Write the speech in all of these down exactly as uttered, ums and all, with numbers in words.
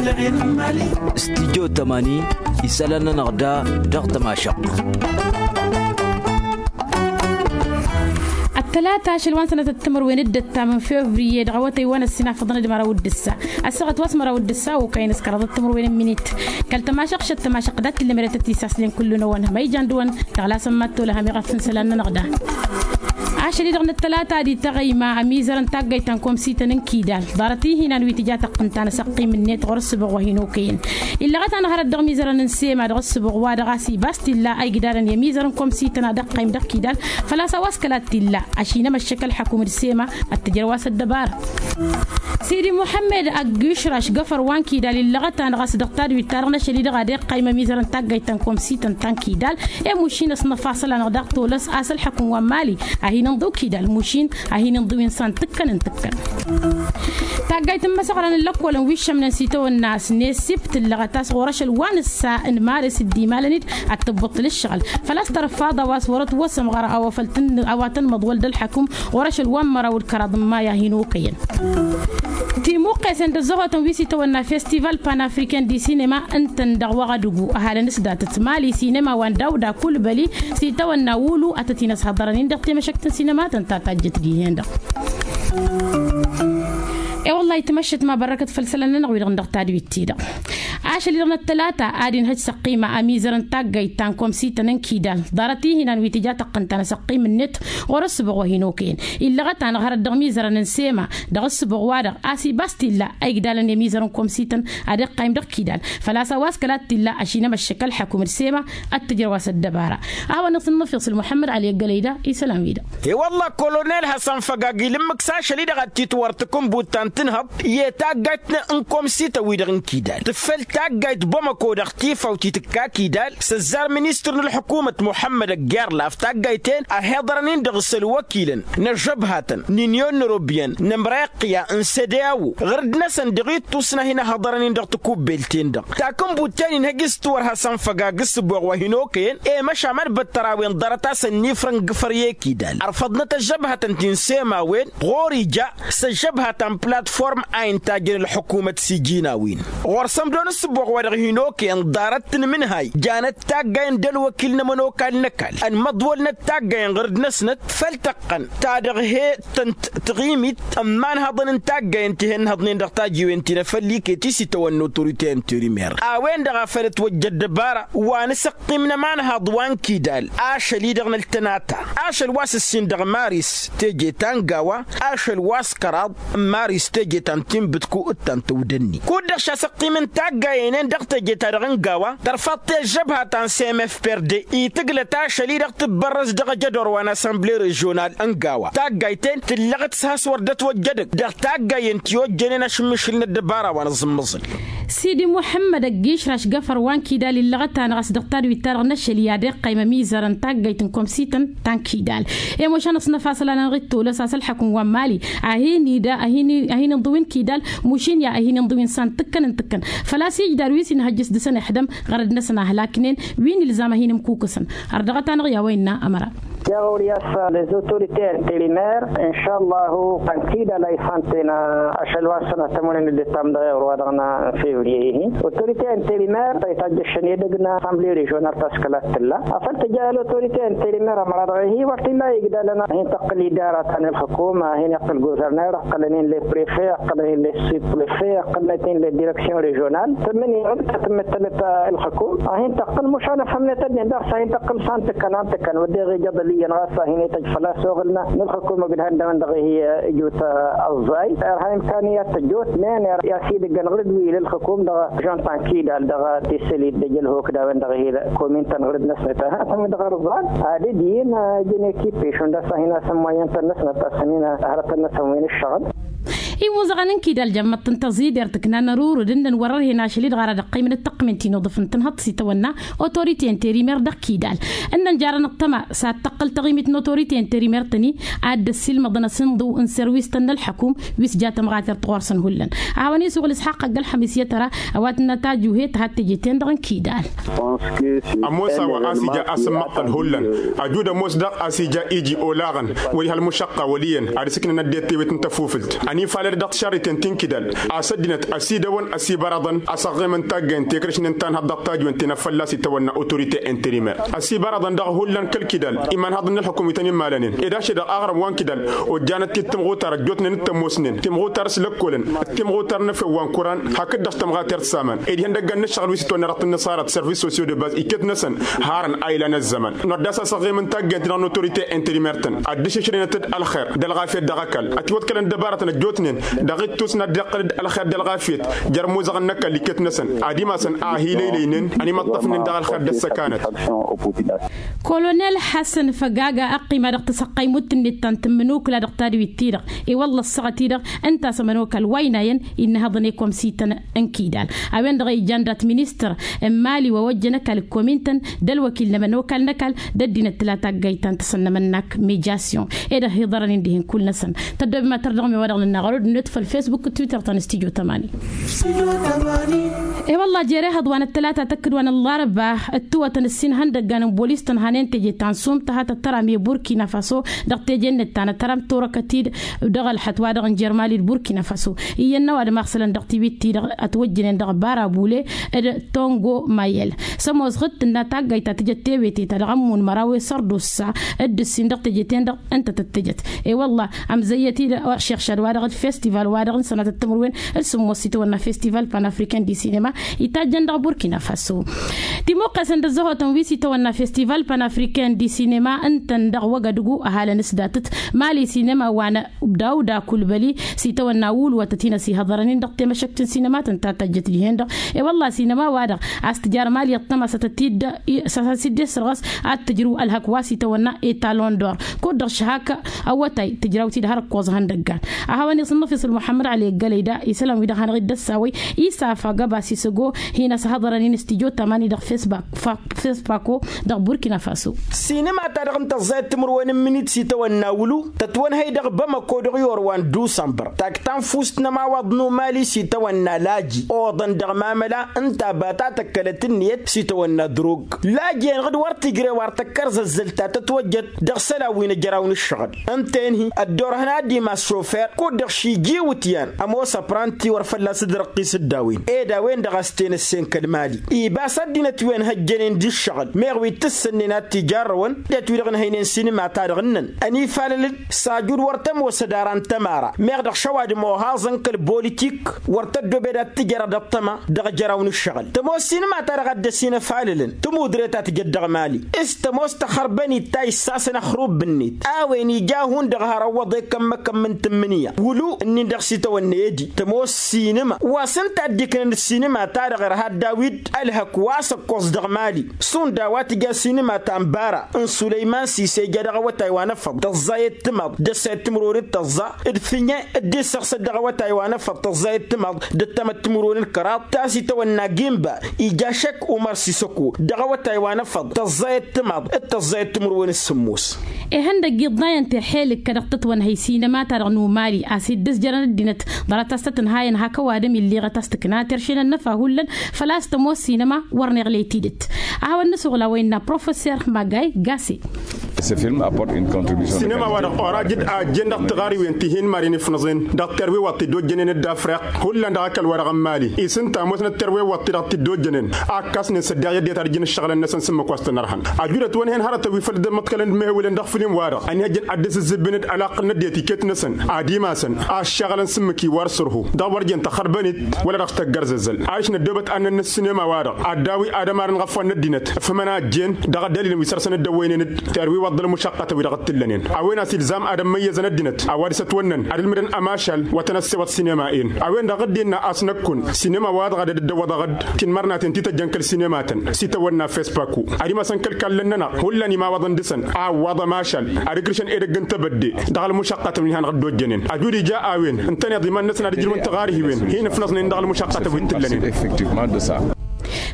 Studyo tămani isălan-nănăɣ da dăɣ-tămašăɣt. Ăttălata ašăl wa n-sănătăt timǝrwen d-ăttam n-fevriye dăɣ-awătăy wa n-ăssinafăḍăn d-măraw d-ǝssa ăssaɣăt wa s-măraw d-ǝssa okăyăn s-kăraḍăt timǝrwen n-minit. Kăl-tămašăɣt šăt tămašăɣt dat-tǝllǝmret ad-t-isaslin kullu-năwăn hămăyjan dăɣ-wăn. Tăɣlasăn mad-tolăhăm iɣăf n-isălan-nănăɣ da. Ašăl-i-dăɣ n-ăttălata ad-ităɣăyma ămizărăn taggayt ta n-komsităn n-kidal ḍarăt-ihi n-anwi tǝja tăqqǝnt ta n-asăqqim ǝnnet ɣur-ăssǝbuɣ wa hin-okăyăn. Illăɣăt-anăɣ hărăt dăɣ-imizărăn n-sema dăɣ-ăssǝbuɣ wa dăɣ-a-s ibas t-illa a igdalăn i-ămizărăn n-komsităn ad-ăqqayǝm dăɣ-kidal. Făl-a-s a-wa s-kăla t-illa ašinămăššăk ălxăkum d-sema ad-t-ǝjrăw a-s ăddăbara. Sidi muḥămmed ăgg išraš găfăr wa n-kidal illăɣăt-anăɣ a-s dăɣ-tadwit-ta-dăɣ n-ašăl-i-dăɣ ad-iqqaym ămizărăn taggayt ta n-komsităn ta n-kidal. I-mušin ăsnăfasăl-anăɣ daɣ tolăs a-s ălxăkum wa n-mali a hin-inḍǝw kidal mušin a hin-inḍǝw insan tǝkkăn n-tǝkkăn. Taggayt n-imăsăɣran n-lăkkolăn wi ǝššămnen s-itawănna a-s nesip tǝllăɣăt a-s ɣur-ašăl wa n-ǝssa n-maris dd-imalăn-dd ad-tǝbbǝṭṭǝl ǝššăɣǝl. Făl-a-s tărfaḍ a-wa s-wărăt wăsăm ɣăr a-wa făl tăn-a-wa tăn-măḍwăl d-ălxăkum ɣur-ašăl wa n-măraw d-kăraḍ n-maya hin-okăyăn. Timuqqesen d-ăzzăhotăn wi s-itawănna festival panafricain di sinema ǝntăn dăɣ-wăɣădǝgu ăhalăn s-datăt mali sinema wa n-dawda kulbăli s-itawănna wulu ad-tăt-in-ăshăḍărăn-in dăɣ-temăšăkt n-sinema tăn-ta tajjăt dihen-dăɣ. E-wăllah itmăššăt ma bărrăkăt făll-isălan-nănăɣ wi-dăɣ n-dăɣ-tadwit-ti-dăɣ. Ašăl-i-dăɣ n-ăttălata ad-inhăj s-ăqqima ămizărăn taggayt ta n-komsităn n-kidal ḍarăt-ihi n-anwi tǝja tăqqǝn ta n-asăqqim-net ɣur-ăssǝbuɣ wa hin-okăyăn. Illăɣăt-anăɣ hărăt dăɣ-imizărăn n-sema dăɣ-ăssǝbuɣ-wa-dăɣ a-s ibas t-illa a igdalăn i-ămizărăn n-komsităn ad-iqqaym dăɣ-kidal. Făl-a-s a-wa s-kăla t-illa ašinămăššăk ălxăkum d-sema ad-t-ǝjrăw a-s ăddăbara. A hawăn-iṣ n-inǝfyăṣ ǝlmuḥămmăd ăli ăggălăy da isălan-wi-dăɣ. E-wălla-ɣ kolonel hasăn-făgag ilǝmmǝk s-ašăl-i-dăɣ ad-t-itwărtǝk n-buttant n-ihăḍ i-taggayt n-komsităn wi-dăɣ n-kidal tǝffăl taggayt bamăko dăɣ-tifawt itǝkka kidal s-ăzzar ministăr n-ălḥukumăt muḥămmăd ăgg-irlaf taggayt-en ăhiḍărăn-in dăɣ-s ălwăkilăn n-ăžžăbhatăn n-inyon n-ărobiyăn n-ămreqya n-sădeawo ɣǝr-dd-năsăn dăɣ-ittus n-ad-hin-ăhhăḍărăn-in dăɣ-takubelt-en-dăɣ. Takǝnbut-ten-in hăj-s tiwărhasăn făgag s-ǝbbuɣ wa hin-okăyăn i-măšan ad-băttăr a-wen ḍarăt-asăn n-ifrăn gǝfăr i-kidal ărfăḍnăt ăžžăbhătăn ti n-sema a-wen ɣur-ija s-ăžžăbhătăn platform a intajăn ălḥukumăt s-iji-n-a-wen ɣur-săn dăɣ-nǝssǝbbuɣ wa dăɣ-hin-okăyăn ḍarăt n-imǝnhay janăt taggayen d-ălwăkil n-ămănokal n-ăkall ănmăḍwălnăt taggayen ɣǝr-dd-năsnăt făll-tăqqăn ta dăɣ-he-tăn-t tăɣimit n-imanhăḍăn n-taggayen ti hen-ǝnhăḍnen dăɣ-tajiwen ti n-efăl iket i-s itawănna otorite interimer a-wen-dăɣ a făl ătwăjja ăddăbara wa n-asăqqim n-ămanhăḍ wa n-kidal ašăl-i-dăɣ n-ăltănata ašăl wa s-ǝssin dăɣ-maris teje ta n-gawa ašăl wa s-kăraḍ n-maris teje ta n-tinbǝtku d-ta n-tawdănni kud-dăɣ šasăqqim n-taggayen-en dăɣ-teje-ta-dăɣ n-gawa tărfaḍ-t i-ăžžăbha ta n-cmf perde itǝglăt ašăl-i-dăɣ tǝbbărrăs dăɣ-ajădor wa n-assemble režional n-gawa taggayt-en tǝllăɣăt s-has-wăr dd-ătwăjjădăg dăɣ-taggayen ti ojjănen ašǝmmǝšǝl n-ăddăbara wa n-aẓǝmmăẓǝl. Sidi muḥămmăd ăgg-išraš găfăr wa n-kidal illăɣăt-anăɣ a-s dăɣ-tadwit-ta-dăɣ n-ašăl i-ad-iqqăy mămizărăn taggayt n-komsităn ta n-kidal i-mušan ăsnăfasăl-anănăɣ-dd tolăs a-s ălḥăkǝm wa n-mali a hin-ida a hin-inḍǝw n-kidal mušin i-ad-hin-inḍǝw insan tǝkkăn n-tǝkkăn făl-a-s ijdar wi s-inhăjjăs dăɣ-săn ixdăm ɣărăd-năsăn a hǝlaknen wi n-ilzam ad-hin-imkukǝsăn. Ărdăɣăt-anăɣ i-a-wa innă ămăra. Yaɣ wăr-i a-s les autorités intérimaires inšallahu ănkidal a isanten ašăl wa n-sănatămănen dd-itam dăɣ-iɣrǝwa dăɣ-n fevrier-ihi autorités intérimaires a itajjăšăn edăgg n-assemble režional ta s-kăla t-tǝlla afăl tǝja i-autorités intérimaires ămăra dăɣ-ihi wăr t-illa igdalăn a hin-tăqqǝl idara ta n-ǝlxǝkum a hin-iqqǝl gouverneur ǝqqǝlăn-in les préfets ǝqqǝlăn-in les sous-préfets ǝqqǝlnăt-in les directions régionales tǝmmǝn-in ɣǝd ta tǝmmǝttălăt ǝlxǝkum a hin-tăqqǝl mušan ăfhămnet ăddin daɣ s-a hin-tăqqǝl s-han tǝkkăn han tǝkkăn wădden iɣǝjăḍ ăliyăn ɣas a hin-ităjj fălla-s oɣǝlna n-ǝlxǝkum ǝgdǝhăn dăɣ-wăn dăɣ-ihi ǝjut ăẓẓay irha imkaniyat tăjjoot men i-asidǝggăn ɣǝr-dd wi ila ǝlxǝkum dăɣ-žon ta n-kidal dăɣ-tisǝlit d-ejălhok d-a-wen-dăɣ ihi commune ta n-ɣǝr-dd-năsnăt a-s ămǝn dăɣ-arǝẓẓal ad-dd-yin ǝjǝn ekipe šund a-s a hin-asǝmmăyyăn-tăn-năsnăt a-s ămin hărătăn-năsăn wi n-ǝššăɣǝl. Imuzăɣăn n-kidal jămmăḍ-tăn tăẓidert ǝknan ărurǝd ǝnnăn wăr-ărhen ašăl-i-dăɣ ara d-ăqqăymăn d-tăqqǝmen ti n-uḍǝf n-tǝnhăḍt s-itawănna autorite interimer dăɣ-kidal ǝnnăn jarăn ăṭṭăma s-ad-tăqqǝl taɣimit n-autorite interimer-tăn-i ad-dd-ăssiilmăḍăn asǝnḍǝw n-serwis-tăn n-ălḥăkum wi s-ja tămɣatert ɣur-săn hullan. A hawăn-isuɣǝl ǝsxaqq ăgg-ălxămis i-tăra ăwadǝm n-atajuhet had-teje-ten-dăɣ n-kidal. Ămoos a-wa a-s ija asǝmmăqqăl hullan ăjud ămoos daɣ a-s ija iji olaɣăn wăr-iha ălmušăqqa wăl' iyyăn ad-ǝsǝknăn ăddinăt tewet n-tăfufǝlt ănifal. dăɣ-tišarriten ti n-kidal a-s ăddinăt ăsidăwăn ăsibăraḍăn a-s ăɣɣemăn taggayen tekrăšnen ta n-hăḍ dăɣ-tajwen ti n-ad-fălla-s itawănna autorite interimer. Ăsibăraḍăn dăɣ-hullan kăl-kidal imanhăḍăn n-ălxukum ităn-immalănen ed ašăl dăɣ-aɣrǝm wa n-kidal ojjanăt-t-dd timɣutar ăjjootnen d-tămoosnen timɣutar s-lăkkolăn d-timɣutar n-efew wa n-kuran hakd-dăɣ s-tămɣatert s-aman ed ihăndăggan n-ǝššăɣǝl wi s-itwănna dăɣ-tǝnnăṣarăt service sociaux de baz iket-năsăn harăn a ilan ăzzăman. Nodda-s a-s ăɣɣemăn taggayen-ti-dăɣ n-autorite interimer-tăn ad-dd-išǝšrăynăt-dd ălxer d-ălɣafyăt dăɣ-ăkall ătiwăḍkălăn dăbaratăn ăjjootnen dăɣ-ittus n-ad-dd-iqqǝl-dd ălxer d-ălɣafyăt jer-imuzăɣăn n-ăkall iket-năsăn ad-imasăn a hi-lăylăynen ănimăṭṭăfnen dăɣ-ălxer d-ăssăkanăt. Kolonel hasăn făgaga ăqqima dăɣ-tasăqqaymut-net ta n-tǝmmǝnukla dăɣ-tadwit-ti-dăɣ i-wălla ăṣṣăɣăt-i-dăɣ ǝnta a-s ămănokal wa ăynayăn innă hăḍăn i-komsităn n-kidal a-wen-dăɣ a ijan dat-ministăr n-imali wa ojjăn ăkall ǝkkomintăn d-ălwăkil n-ămănokal n-ăkall d-ăddinăt tǝla taggayt ta n-tasăn n-emănnak mejasyon. Ed ăhiḍărăn-in dihen kull-năsăn tăddoobem ad-tărdăɣmem wa dăɣ-nǝnna ɣărud-net făll-fesbuk d-twitter ta n-studyo tămani. E-wălla jer-ehăḍ wa n-ăttălata tăkkǝd wa n-ăllarăba ǝttǝwătăn ǝssin ihăndăggan n-bolis tănhanen teje ta n-sum tăha tăttăram i-burkina faso dăɣ-teje-net ta n-ăttăram turăkăt-dd dăɣ-ălxăt wa dăɣ-n jer-mali d-burkina faso. Iyyăn n-ăwadǝm a ăɣsălăn dăɣ-tiwit-ti-dăɣ ătwăjjănen dăɣ-bara bule d-tongo mayel. S-ămoos ɣǝd tǝnna taggayt ta tǝjăt tewete ta dăɣ-ămmun măraw i-sărdusa d-ǝssin dăɣ-teje-ten-dăɣ ǝnta tăt-tǝjăt. E-wălla ămzăyyăt-dd ašixšad-wa-dăɣ d-festival-wa-dăɣ n-sănatăt timǝrwen d-sǝmmos s-itawănna festival panafricain di sinema itajjăn dăɣ-burkina faso. Timuqqesăn d-ăzzăhotăn wi s-itawănna festival panafricain di sinema ǝntăn dăɣ-wăgădgu ăhalăn s-datăt mali sinema wa n-dawda kulbăli s-itawănna wulwătăt-in ăsihăḍărăn-in dăɣ-temăšăkt n-sinema tăn-ta tajjăt dihen-dăɣ. E-wălla sinema-wa-dăɣ a-s tǝjar mali ăṭṭămasătăt-dd s-ad-t-dd-isrăɣăs ad-tǝjrǝw ălhăk wa s-itawănna etalon d-or kud-dăɣ šăhak awătay tǝjrawt-dd har ǝkkoẓ ihăndăggan. A hawăn-iṣ n-năfis ălmuḥămmăd ăli ăggălăy da isălan-wi-dăɣ hanăɣ-dd-ăssawăy isafa găba s-isăgo hin-ăsahăḍărăn-in studyo tamani dăɣ-fesbak fak fespako dăɣ-burkina faso. Sinima-ta-dăɣ n-tăẓẓayăt timǝrwen n-minit s-itawănna wǝlu tătwănhăy dăɣ-bamăko dăɣ-iyor wa n-dusănbăr tak ta n-fust n-ămawaḍ n-umali s-itawănna laji oḍăn dăɣ-mamăla ǝnta a ba ta tăkkălăt ǝnniyăt s-itawănna drog. Laji-enăɣ d-wăr tǝjrew ar tăkkărzăzzăl ta tătwăjjăt dăɣ-isălan wi n-ejăraw n-ǝššăɣǝl ǝnta-en-hi ăddoorhăn ad-imas šofer kud-dăɣ šijiwǝtyan ămoos ăpranti wăr fălla-s dd-răqqis dd-a-wen ed a-wen-dăɣ a-s tenăssen kăl-mali. Iba s-ăddinăt wi ănhăjjănen d-ǝššăɣǝl meɣ wi t-ǝssǝnnen ad-t-ijarrăwăn d-et-wi-dăɣ ǝnhăynen sinima-ta-dăɣ ǝnnăn ănifalăl-dd s-ajud wăr tămoos ădara n-tămara meɣ dăɣ-šăwadǝm ohaẓăn kăl-bolitik wăr tăddoobed ad-t-tǝjăr ad-ăṭṭăma dăɣ-ejăraw n-ǝššăɣǝl. Tămoos sinima-ta-dăɣ a dd-ăsinăfalălăn tămudre ta tǝjăt dăɣ-mali s-tămoos tăxărbănit ta issasăn ăxrub-net a-wen ija hundăɣ har ăwwăḍ ekămmăkămm n-tǝmmǝnǝya wǝlu ǝnnin-dăɣ s-itawănna edi tămoos sinima wa s-ǝnta a dd-iknăn d-sinima-ta-dăɣ irha dd-awi-dd ălhăk wa s-ǝkkoẓ dăɣ-mali. Šund a-wa tǝja sinima ta n-bara n-sulăyman s-ise ija dăɣ-awătay wa n-efăḍ tăẓẓayăt timaḍ d-ăssayăt timǝrwen d-tăẓẓa d-fǝnye dd-issăɣsăt dăɣ-awătay wa n-efăḍ tăẓẓayăt timaḍ d-ăttămăt timǝrwen d-kăraḍ ta s-itawănna gimba ija šek umăr s-isăko dăɣ-awătay wa n-efăḍ tăẓẓayăt timaḍ d-tăẓẓayăt timǝrwen d-sǝmmos. Ihăndăgg iḍnayăn teḥelǝk-kăd dăɣ-tătwănhăy sinema-ta-dăɣ n-umali a-s dd-ǝzjărăn ăddinăt ḍarăt a-s tăt-ǝnhayăn hak ăwadǝm ill'-iɣăt a-s tǝkna terše n-ănnăfa hullan făl-a-s tămoos sinema wăr neɣley tidǝt. A hawăn-nǝsuɣla wa innă professor magay gase. Sinema-wa-dăɣ orajǝd a ăjjeen dăɣ-tiɣariwen ti hin-maren ifnăẓen dăɣ-terwiwăḍ ti dd-ojjănen dd-afriq hullan dăɣ-ăkall-wa-dăɣ n-mali isǝnta ămoosnăt terwiwăḍ ti-dăɣ ti dd-ojjănen a ǝkkasnen s-ăddiɣ i-ăddinăt ad-ǝjǝn ǝššăɣǝlăn-năsăn s-ǝmmǝk wa s-tăn-ărhăn. Ăjudăt wăn-hen hărătăn wi făl dd-ămmăḍkălăn d-imehewǝlăn dăɣ-făll-in-wa-dăɣ ănihăjjăn ad-dd-sǝzzǝbbǝnăd ălaqq n-ăddinăt iket-năsăn ad-imasăn aššăɣǝlăn s-ǝmmǝk iwar sărhu dăɣ-wăr jen tăxărbănit wăla dăɣ-s tăggărzăzzăl. Ašnăt dăbăt annăn n-ǝssinema-wa-dăɣ ad-dawi ad-ămarăn ɣăf wa n-ăddinăt ǝfhǝmăn a ăjjeen dăɣ-ăddălilăn wi săr-săn dd-ăwwăynen-dd terwiwăḍ d-ălmušăqqătăn wi dăɣ-t-ǝllănen a-wen a-s ilzam ad-ămmăyyăzăn ăddinăt a-wa dăɣ-s ătwănnăn ad-ǝlmǝdăn ămašal wa tăn-ăssewăḍ sinema-en. A-wen-dăɣ dd-innă a-s năkkun sinema-wa-dăɣ a dd-ăddăwwăḍăɣ-dd tinmărnaten ti tăjjăn kăl-sinema-tăn s-itawănna fespaku ad-imasăn kăl-kallăn-nănăɣ hullan imawăḍăn dăɣ-săn a ǝwwaḍ ămašal ad-ǝkrǝšăn edăgg n-tebădde dăɣ-ălmušăqqătăn wi n-hanăɣ-dd-ojjănen. Ăjud ija a-wen ǝntăneḍ iman-năsăn ad-ǝjrǝwăn tiɣarhiwen hin-ǝfnăẓnen dăɣ-ălmušăqqătăn wi t-ǝllănen.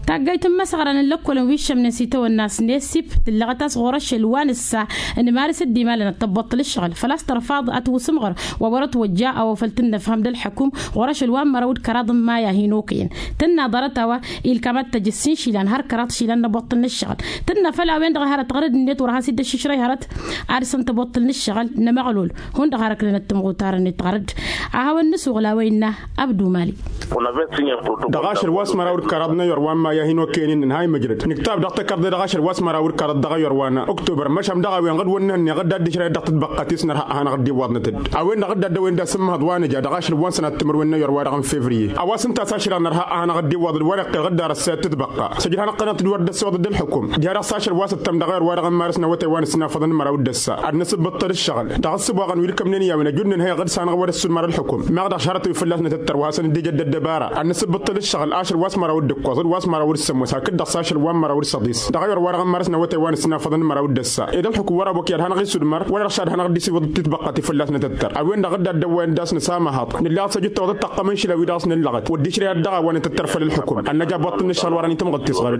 Taggayt n-imăsɣărăn n-lăkkolăn wi ǝššămnen s-itawănna s-nesip tǝllăɣăt a-s ɣur-ašăl wa nǝssa n-imarǝs dd-imalăn ad-tăbbuṭṭǝl ǝššăɣǝl făl-a-s tărfaḍ ad-tiwǝsǝmɣăr wa wăr-ătwăjja a ofăl tǝnnăfhăm d-ălḥăkum ɣur-ašăl wa n-măraw d-kăraḍ n-maya hin-okăyăn. Tǝnna ḍarăt-a-wa ilkam ad-tăj ǝssin išilan har kăraḍ išilan n-abbuṭṭǝl n-ǝššăɣǝl. Tǝnna făll-a-wen-dăɣ a hărăt ɣărăd-net wăr has-dd-ăššǝšrăy hărăt ad-săn tăbbuṭṭǝl n-ǝššăɣǝl n-amăɣlol. Hundăɣ har ăknănăt tǝmɣutarăn-net ɣărăd. A hawăn-nǝsuɣǝl a-wa innă abdu mali. Dăɣ-ašăl wa s-măraw d-kăraḍ n-ayyor wa n-maya hin-okăyăn-in nǝnhay măjrăd nǝktab dăɣ-tăkărḍe dăɣ-ašăl wa s-măraw d-kăraḍ dăɣ-ayyor wa n-oktober măšan dăɣ-a-wen ɣǝd-wăn n-ehănneɣ dd-ad-dd-išrăyăt dăɣ-tǝtbăqqat-i s-nărha ad-hanăɣ-dd-iwwaḍnăt-dd. A-wen-dăɣ dd-addăwen d-asǝmmăhăḍ wa nǝja dăɣ-ašăl wa n-sănat timǝrwen n-ayyor wa dăɣ-n fevriye a-wa s-ǝnta a-s ašrăɣ nărha ad-hanăɣ-dd-iwwaḍ d-wăr-iqqel ɣǝdda răssăyăt tǝtbăqqa săjdăɣ-anăɣ-tănăt d-wăr dd-ăssewăḍ d-ălḥukum. Diha-dăɣ s-ašăl wa s-ǝttăm dăɣ-ayyor wa dăɣ-n marǝs n-awătay wa n-ǝssinafăḍăn n-măraw d-ăssa ad-nǝsǝbbǝṭṭăl ǝššăɣǝl dăɣ-ǝssǝboɣăn wi d-kămnen i-a-wen ăjudnen hăyăɣ d-sanăɣ wăr-ǝssun măra ălḥukum meɣ dăɣ-šarătăn wi fălla-s nătăttăr wa hasăn-dd-ija dd-ăddăbara ad-nǝsǝbbǝṭṭăl ǝššăɣǝl ašăl wa s-măraw d-ǝkkoẓ d-wa s-măraw d-sămmos hakd-dăɣ s-ašăl wa n-măraw d-săḍis dăɣ-ayyor wa dăɣ-n marǝs n-awătay wa n-ǝssinafăḍăn n-măraw d-ăssa ed ălxukum wăr-abok i-ad-hanăɣ-isudmăr wăla dăɣ-šad hanăɣ-dd-isiwǝḍ d-titbăqqa ti fălla-s nătăttăr a-wen-dăɣ dd-addăwwayăn d-a-s nǝsamahaḍ nǝlla ad-săjǝttăwăḍ d-tăqqăm n-išla wi dăɣ-s nǝllăɣăt wăddišrăy ad-dăɣ-a-wa nǝtăttăr făll-ălxukum ad-năj abbuṭṭǝl n-ǝššăɣǝl wăren itǝmɣǝd tisɣăr.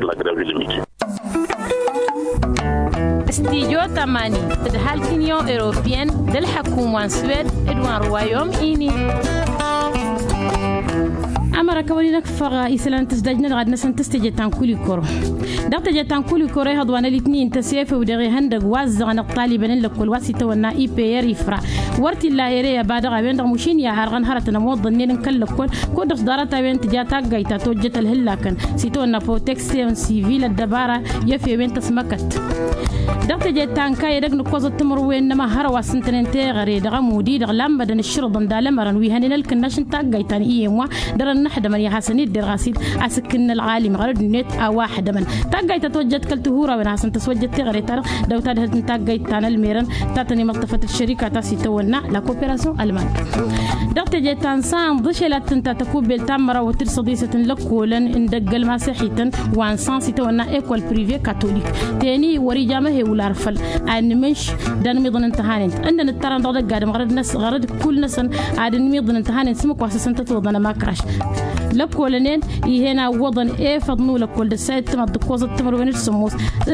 Studio tamani d-ǝhal t-inyon europeyăn d-ălḥăkum wa n-swed d-wa n-ruwayom ini. Ămăra kăwăn-in-ăkfăɣ isălan n-tǝzdaj-nănăɣ ad-năsăn tǝstăje ta n-kulikoro. Dăɣ-tăje ta n-kulikoro ihăḍ wa n-ălitni ǝnta s-efew dăɣ-ihăndăg wa ăzzăɣănăɣ taliben n-lăkkol wa s-itawănna i p r ifra wăr t-illa ere ăba dăɣ-a-wen-dăɣ mušin i-ad-harɣăn hărătăn ămoḍănnen n-kăl-lăkkol. Kud-dăɣ s-ḍarăt-a-wen tǝja taggayt ta tojjăt ălhǝllakăn s-itawănna proteksyon sivil ăddăbara i-efewen tăsmăkăt. Dăɣ-teje ta n-kayădăg nǝkkoẓăt timǝrwen n-ămăhhărăw a s-ǝntănen teɣăre dăɣ-ămud-i-dăɣ lammădăn ǝššǝrǝḍăn d-alămărăn wi hănen ălkǝnnaš n-taggayt ta n-iyyăm wa dăr-ănnăḥdămăn i-ad-hasăn-dd-derɣ a-s-dd a-s ǝkkǝnnă ălɣalim ɣărăd-net a-wa ăḥdămăn. Taggayt ta tojjăt kăl-tihurawen ad-hasăn-tăswăjjăt teɣăre-ta-dăɣ dăw-tadhǝlt n-taggayt ta n-ălmerăn ta tăn-imăṭṭăfăt d-šărika ta s-itawănna la kooperasyon ălman. Dăɣ-teje ta n-sanḍ ăšelat tǝnta tăkubbelt ta n-mărawăt d-săḍisăt n-lăkkolăn n-dăgg-ălmaseḥităn wa n-sanḍ s-itawănna ekol prive katolik teni wăr-ija amăhewǝl ar făl ad-nǝmǝnš d-anmiḍăn n-tăhanent ǝnnăn ǝttărăn dăɣ-dăgg-adǝm ɣărăd-năsăn ɣărăd kull-năsăn ad-ǝnmiḍăn n-tăhanent s-ǝmmǝk wa s-ăsăn tătwăḍăn ămakraš. Lăkkolănen ih'-en a ǝwwăḍăn efăḍ n-ulăkkol d-ăssayăt timaḍ d-ǝkkoẓăt timǝrwen d-sămmos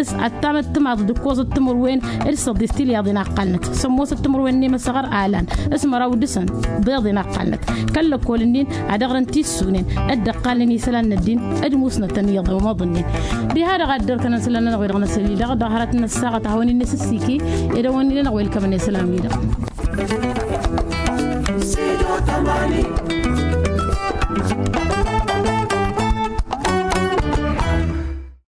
s-ăttamăt timaḍ d-ǝkkoẓăt timǝrwen d-săḍis tilyaḍen a ǝqqalnăt sămmosăt timǝrwen n-emăsăɣăr alan s-măraw dăɣ-săn ḍeḍen a ǝqqalnăt. Kăl-lăkkol-nin ad-ăɣrǝn tissunen dd-ǝqqalnen isălan n-ăddin d-musnătăn iyyăḍ ămoḍănnen. Diha-dăɣ a dd-ărkănăn isălan-nănăɣ-wi-dăɣ n-asăl-i-dăɣ dăɣ-hărăt n-ăssaɣăt a hawăn-in-nǝsǝs s-ike ed a hawăn-in-nănăɣ-welkămăn isălan-wi-dăɣ.